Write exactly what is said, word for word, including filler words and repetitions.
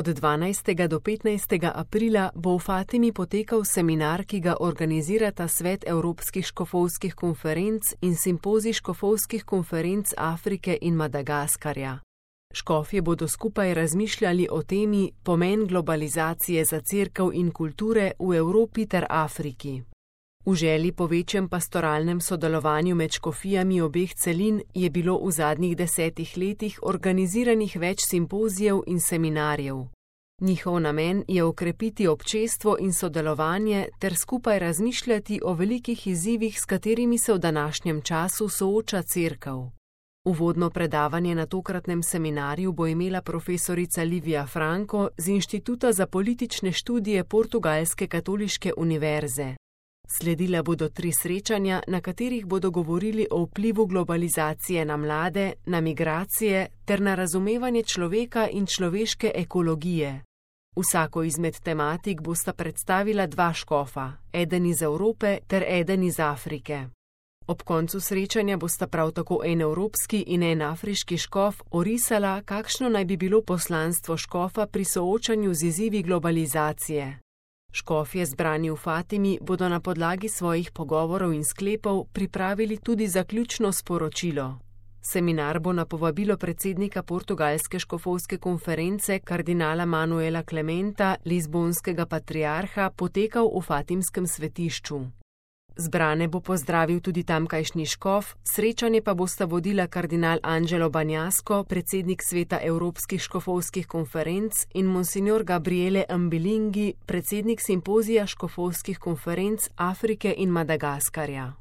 Od dvanajstega do petnajstega aprila bo v Fatimi potekal seminar, ki ga organizirata Svet Evropskih škofovskih konferenc in Simpozij škofovskih konferenc Afrike in Madagaskarja. Škofje bodo skupaj razmišljali o temi Pomen globalizacije za cerkev in kulture v Evropi ter Afriki. V želji po večjem pastoralnem sodelovanju med škofijami obeh celin je bilo v zadnjih desetih letih organiziranih več simpozijev in seminarjev. Njihov namen je okrepiti občestvo in sodelovanje ter skupaj razmišljati o velikih izzivih, s katerimi se v današnjem času sooča cerkev. Uvodno predavanje na tokratnem seminarju bo imela profesorica Livia Franco z Inštituta za politične študije Portugalske katoliške univerze. Sledila bodo tri srečanja, na katerih bodo govorili o vplivu globalizacije na mlade, na migracije ter na razumevanje človeka in človeške ekologije. Vsako izmed tematik bosta predstavila dva škofa, eden iz Evrope ter eden iz Afrike. Ob koncu srečanja bosta prav tako en evropski in en afriški škof orisala, kakšno naj bi bilo poslanstvo škofa pri soočanju z izzivi globalizacije. Škofje zbrani v Fatimi bodo na podlagi svojih pogovorov in sklepov pripravili tudi zaključno sporočilo. Seminar bo na povabilo predsednika Portugalske škofovske konference kardinala Manuela Clementa, lizbonskega patriarha, potekal v fatimskem svetišču. Zbrane bo pozdravil tudi tamkajšnji škof, srečanje pa bosta vodila kardinal Angelo Banjasko, predsednik Sveta Evropskih škofovskih konferenc, in monsignor Gabriele Ambilingi, predsednik Simpozija škofovskih konferenc Afrike in Madagaskarja.